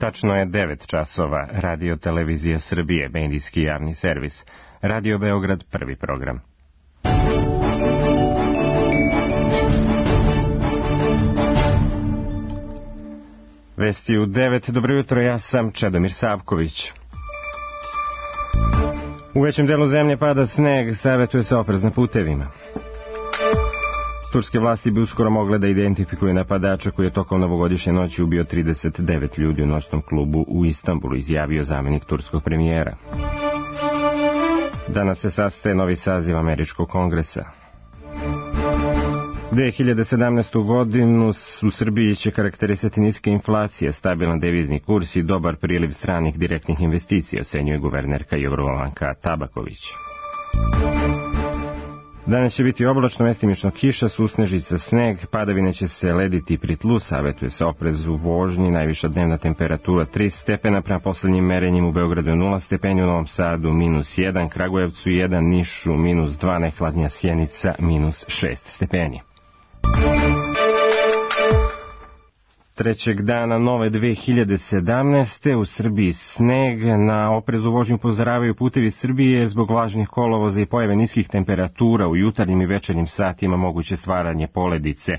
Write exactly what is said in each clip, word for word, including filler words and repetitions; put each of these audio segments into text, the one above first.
Tačno je devet časova. Radio Televizija Srbije, medijski javni servis. Radio Beograd, prvi program. Vesti u devet. Dobro jutro, ja sam Čedomir Savković. U većem delu zemlje pada sneg, savjetuje se oprez na putevima. Turske vlasti bi uskoro mogle da identifikuju napadača koji je tokom novogodišnje noći ubio trideset devet ljudi u noćnom klubu u Istanbulu, izjavio zamenik turskog premijera. Danas se sastaje novi saziv Američkog kongresa. dve hiljade sedamnaestu. godinu u Srbiji će karakterisati niska inflacija, stabilan devizni kurs i dobar priliv stranih direktnih investicija, ocenjuje guvernerka Jorgovanka Tabaković. Danas će biti oblačno, mestimično kiša, susnežica, sneg, padavine će se lediti pri tlu, savjetuje se oprez u vožnji, najviša dnevna temperatura tri stepena, prema poslednjim merenjima u Beogradu nula stepeni, u Novom Sadu minus jedan, Kragujevcu jedan, Nišu minus dva, najhladnija Sjenica minus šest stepeni. Trećeg dana nove dve hiljade sedamnaeste. u Srbiji sneg, na oprez u vožnju upozoravaju Putevi Srbije jer zbog vlažnih kolovoza i pojave niskih temperatura u jutarnjim i večernjim satima moguće stvaranje poledice.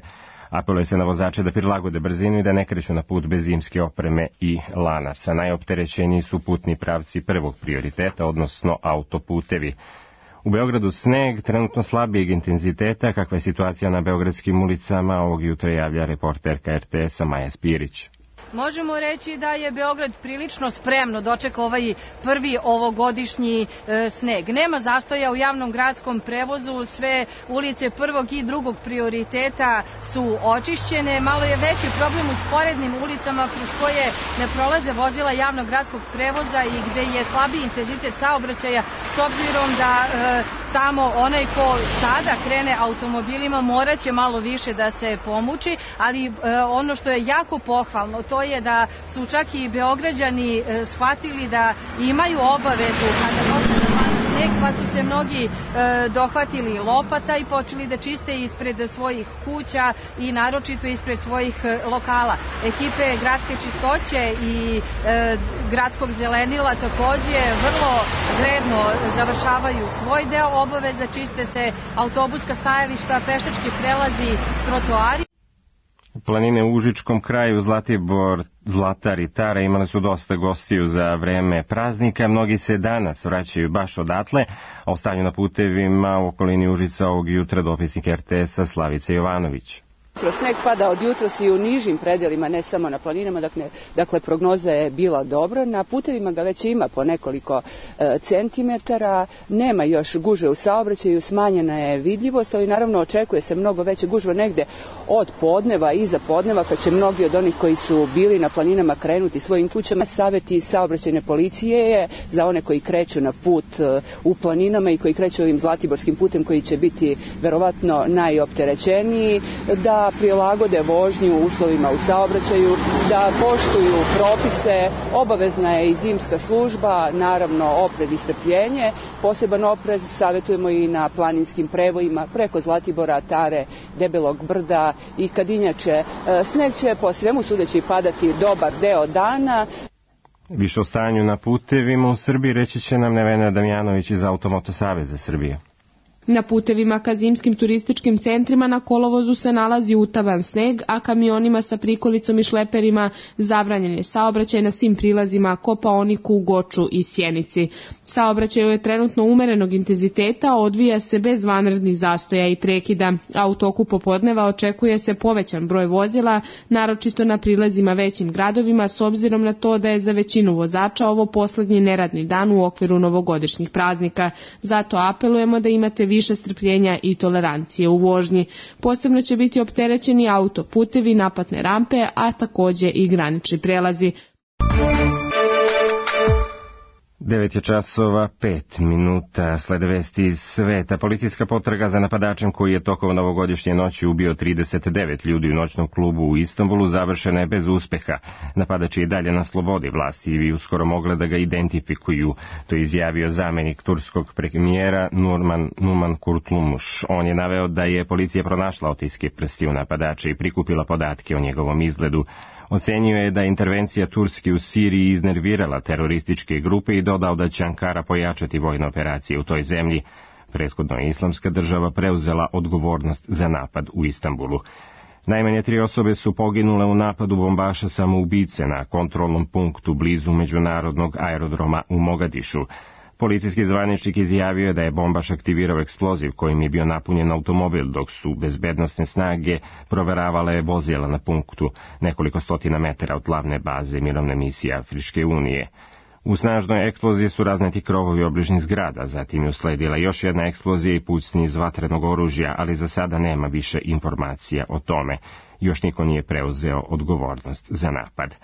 Apeluje se na vozače da prilagode brzinu i da ne kreću na put bez zimske opreme i lanaca. Najopterećeniji su putni pravci prvog prioriteta, odnosno autoputevi. U Beogradu sneg, trenutno slabijeg intenziteta. Kakva je situacija na beogradskim ulicama, ovog jutra javlja reporterka er te es-a Maja Spirić. Možemo reći da je Beograd prilično spremno dočekao ovaj prvi ovogodišnji e, sneg. Nema zastoja u javnom gradskom prevozu, sve ulice prvog i drugog prioriteta su očišćene. Malo je veći problem u sporednim ulicama kroz koje ne prolaze vozila javnog gradskog prevoza i gde je slabiji intenzitet saobraćaja, s obzirom da e, tamo onaj ko sada krene automobilima moraće malo više da se pomuči, ali e, ono što je jako pohvalno, to je da su čak i Beograđani e, shvatili da imaju obavezu kada počne da pada sneg, pa su se mnogi e, dohvatili lopata i počeli da čiste ispred svojih kuća i naročito ispred svojih e, lokala. Ekipe gradske čistoće i e, gradskog zelenila takođe vrlo vredno završavaju svoj deo obaveza, čiste se autobuska stajališta, pešački prelazi, trotoari. Planine u Užičkom kraju, Zlatibor, Zlatar i Tara imali su dosta gostiju za vreme praznika. Mnogi se danas vraćaju baš odatle, a o stanju na putevima u okolini Užica ovog jutra dopisnik er te es-a Slavica Jovanović. Sneg pada od jutros i u nižim predelima, ne samo na planinama, dakle, dakle prognoza je bila dobro. Na putevima ga već ima po nekoliko e, centimetara, nema još gužve u saobraćaju, smanjena je vidljivost, ali naravno očekuje se mnogo veće gužve negde od podneva, iza podneva, kad će mnogi od onih koji su bili na planinama krenuti svojim kućama. Savjeti saobraćajne policije je za one koji kreću na put e, u planinama i koji kreću ovim Zlatiborskim putem koji će biti verovatno najopterećeniji, da prilagode vožnju uslovima u saobraćaju, da poštuju propise. Obavezna je i zimska služba, naravno oprez i strpljenje. Poseban oprez savjetujemo i na planinskim prevojima preko Zlatibora, Tare, Debelog brda i Kadinjače. Sneg će po svemu sudeći padati dobar deo dana. Više o stanju na putevima u Srbiji reći će nam Nevena Damjanović iz Automoto saveza Srbije. Na putevima ka zimskim turističkim centrima na kolovozu se nalazi utaban sneg, a kamionima sa prikolicom i šleperima zabranjen je saobraćaj na svim prilazima Kopaoniku, Goču i Sjenici. Saobraćaj je trenutno umerenog intenziteta, odvija se bez vanrednih zastoja i prekida, a u toku popodneva očekuje se povećan broj vozila, naročito na prilazima većim gradovima, s obzirom na to da je za većinu vozača ovo poslednji neradni dan u okviru novogodišnjih praznika. Zato apelujemo da imate više strpljenja i tolerancije u vožnji. Posebno će biti opterećeni autoputevi, naplatne rampe, a takođe i granični prelazi. devet je časova, pet minuta, slede vesti iz sveta. Policijska potraga za napadačem koji je tokom novogodišnje noći ubio trideset devet ljudi u noćnom klubu u Istanbulu završena je bez uspeha. Napadač je i dalje na slobodi, vlasti bi uskoro mogle da ga identifikuju. To je izjavio zamenik turskog premijera Nurman, Numan Kurtulmuş. On je naveo da je policija pronašla otiske prstiju napadača i prikupila podatke o njegovom izgledu. Ocenio je da je intervencija Turske u Siriji iznervirala terorističke grupe i dodao da će Ankara pojačati vojne operacije u toj zemlji. Prethodno je Islamska država preuzela odgovornost za napad u Istanbulu. Najmanje tri osobe su poginule u napadu bombaša samoubice na kontrolnom punktu blizu međunarodnog aerodroma u Mogadišu. Policijski zvaničnik izjavio je da je bombaš aktivirao eksploziv kojim je bio napunjen automobil, dok su bezbednosne snage proveravale vozila na punktu nekoliko stotina metara od glavne baze mirovne misije Afričke unije. U snažnoj eksploziji su razneti krovovi obližnjih zgrada, zatim je usledila još jedna eksplozija i pucnji iz vatrenog oružja, ali za sada nema više informacija o tome. Još niko nije preuzeo odgovornost za napad.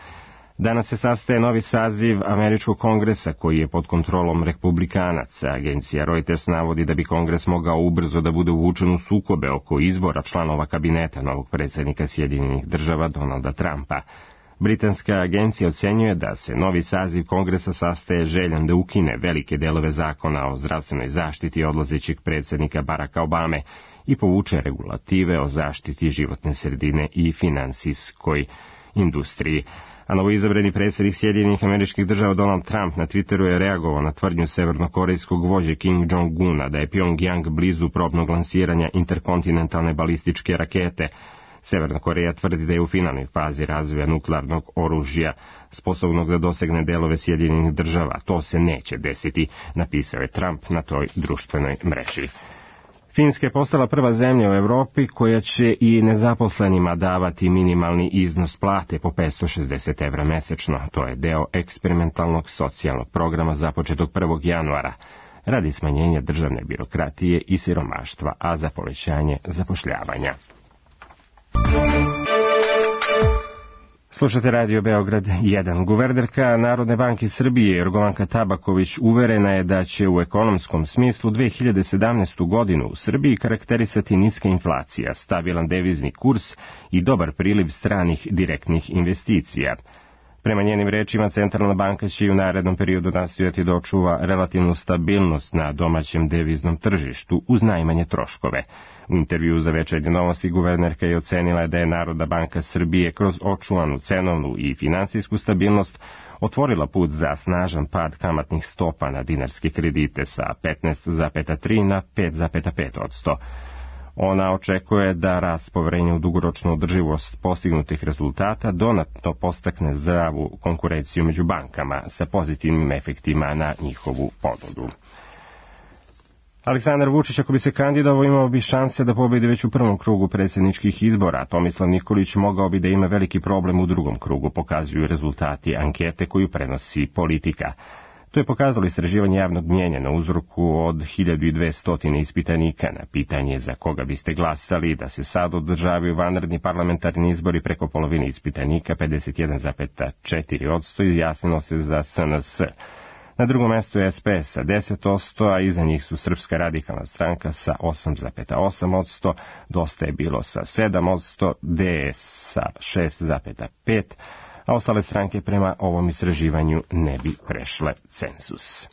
Danas se sastaje novi saziv Američkog kongresa koji je pod kontrolom republikanaca. Agencija Reuters navodi da bi kongres mogao ubrzo da bude uvučen u sukobe oko izbora članova kabineta novog predsjednika Sjedinjenih država Donalda Trumpa. Britanska agencija ocenjuje da se novi saziv kongresa sastaje željan da ukine velike delove zakona o zdravstvenoj zaštiti odlazećeg predsjednika Baracka Obame i povuče regulative o zaštiti životne sredine i finansijskoj industriji. A novoizabrani predsjednik Sjedinjenih Američkih Država Donald Trump na Twitteru je reagovao na tvrdnju severnokorejskog vođe Kim Jong-una da je Pyongyang blizu probnog lansiranja interkontinentalne balističke rakete. Severna Koreja tvrdi da je u finalnoj fazi razvoja nuklearnog oružja, sposobnog da dosegne delove Sjedinjenih država. To se neće desiti, napisao je Trump na toj društvenoj mreži. Finska je postala prva zemlja u Evropi koja će i nezaposlenima davati minimalni iznos plate po petsto šezdeset evra mesečno. To je deo eksperimentalnog socijalnog programa započetog prvog januara, radi smanjenja državne birokratije i siromaštva, a za povećanje zapošljavanja. Slušate Radio Beograd jedan. Guvernerka Narodne banke Srbije Jorgovanka Tabaković uverena je da će u ekonomskom smislu dve hiljade sedamnaestu. godinu u Srbiji karakterisati niska inflacija, stabilan devizni kurs i dobar priliv stranih direktnih investicija. Prema njenim rečima, Centralna banka će i u narednom periodu nastojati da očuva relativnu stabilnost na domaćem deviznom tržištu uz najmanje troškove. U intervju za Večernje novosti guvernerka je ocenila da je Narodna banka Srbije kroz očuvanu cenovnu i finansijsku stabilnost otvorila put za snažan pad kamatnih stopa na dinarske kredite sa petnaest zarez tri na pet zarez pet posto. Ona očekuje da rast poverenja u dugoročnu održivost postignutih rezultata dodatno postakne zdravu konkurenciju među bankama sa pozitivnim efektima na njihovu ponudu. Aleksandar Vučić, ako bi se kandidovao, imao bi šanse da pobedi već u prvom krugu predsjedničkih izbora. Tomislav Nikolić mogao bi da ima veliki problem u drugom krugu, pokazuju rezultati ankete koju prenosi Politika. To je pokazalo istraživanje javnog mnjenja na uzorku od hiljadu dvesta ispitanika. Na pitanje za koga biste glasali da se sad održavaju vanredni parlamentarni izbori, preko polovine ispitanika, pedeset jedan zarez četiri posto, izjasnilo se za S N S. Na drugom mestu je S P S sa deset posto, a iza njih su Srpska radikalna stranka sa osam zarez osam posto, Dosta je bilo sa sedam posto, D S sa šest zarez pet posto, a ostale stranke prema ovom istraživanju ne bi prešle cenzus.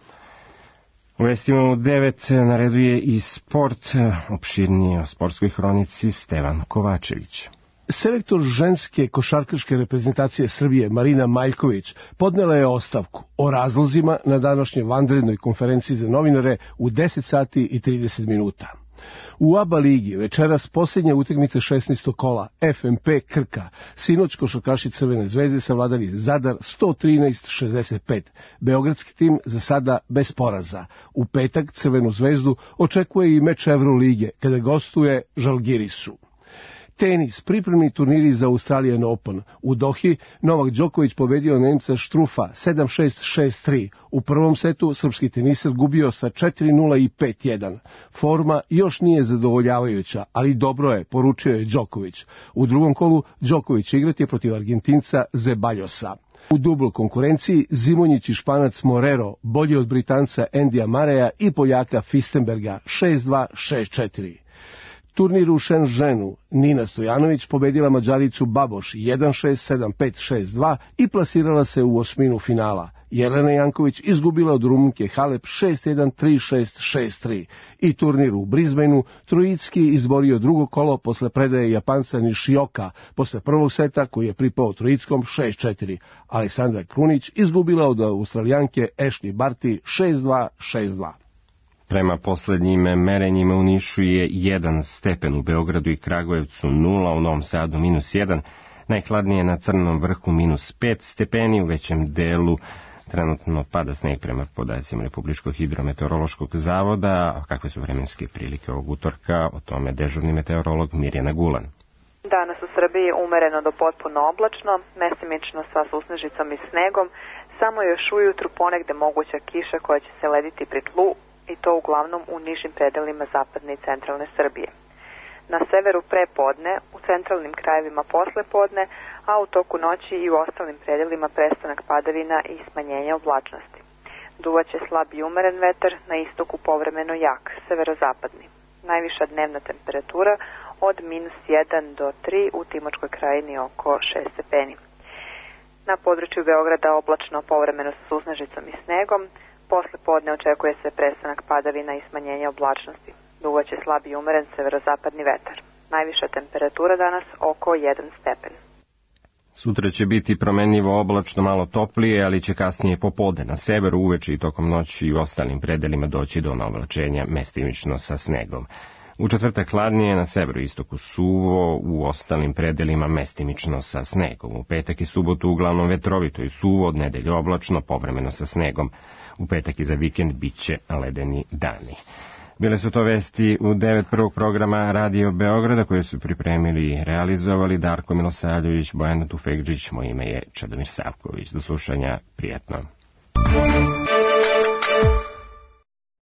U vestima u devet na redu je i sport, opširnije o sportskoj hronici Stevan Kovačević. Selektor ženske košarkaške reprezentacije Srbije Marina Maljković podnela je ostavku o razlozima na današnjoj vanrednoj konferenciji za novinare u deset sati i trideset minuta. U A B A ligi večeras posljednja utakmica šesnaestog kola F M P Krka, sinoć košarkaši Crvene zvezde savladali Zadar sto trinaest šezdeset pet. Beogradski tim za sada bez poraza. U petak Crvenu zvezdu očekuje i meč Evrolige kada gostuje Žalgirisu. Tenis, pripremni turniri za Australian Open. U Dohi Novak Đoković pobedio Nemca Štrufa sedam šest šest tri. U prvom setu srpski teniser gubio sa četiri nula i pet jedan. Forma još nije zadovoljavajuća, ali dobro je, poručio je Đoković. U drugom kolu Đoković igrati je protiv Argentinca Zebaljosa. U dubloj konkurenciji Zimonjić i Španac Morero bolji od Britanca Endija Mareja i Poljaka Fistenberga šest dva šest četiri. Turnir u Shenzhenu Nina Stojanović pobedila Mađaricu Baboš jedan šest sedam pet šest dva i plasirala se u osminu finala. Jelena Janković izgubila od Rumunke Halep šest jedan, tri šest, šest tri. I turnir u Brisbaneu Trojicki izborio drugo kolo posle predaje Japanca Nishioka posle prvog seta koji je pripao Trojickom šest četiri. Aleksandra Krunić izgubila od Australijanke Ashley Barty šest dva, šest dva. Prema poslednjim merenjima u Nišu je jedan stepen, u Beogradu i Kragujevcu nula, u Novom Sadu minus jedan, najhladnije na Crnom vrhu minus pet stepeni, u većem delu trenutno pada sneg prema podacima Republičkog hidrometeorološkog zavoda. A kakve su vremenske prilike ovog utorka, o tome dežurni meteorolog Mirjana Gulan. Danas u Srbiji umereno do potpuno oblačno, mesimično sa susnežicom i snegom, samo još ujutru ponegde moguća kiša koja će se lediti pri tlu, i to uglavnom u nižim predelima zapadne i centralne Srbije. Na severu pre podne, u centralnim krajevima posle podne, a u toku noći i u ostalim predelima prestanak padavina i smanjenje oblačnosti. Duvaće slab i umeren vetar, na istoku povremeno jak, severozapadni. Najviša dnevna temperatura od minus jedan do tri, u Timočkoj krajini oko šest stepeni. Na području Beograda oblačno, povremeno sa susnežicom i snegom. Posle podne očekuje se prestanak padavina i smanjenje oblačnosti. Duvaće slab i umeren severozapadni vetar. Najviša temperatura danas oko jedan stepen. Sutra će biti promenljivo oblačno, malo toplije, ali će kasnije popodne na severu, uveče i tokom noći i u ostalim predelima doći do navlačenja mestimično sa snegom. U četvrtak hladnije, na severu i istoku suvo, u ostalim predelima mestimično sa snegom. U petak i subotu uglavnom vetrovito i suvo, od nedelje oblačno, povremeno sa snegom. U petak i za vikend bit će ledeni dani. Bile su to vesti u devet prvog programa Radio Beograda koje su pripremili i realizovali Darko Milosavljević, Bojana Tufekđić, moje ime je Čedomir Savković. Do slušanja, prijatno.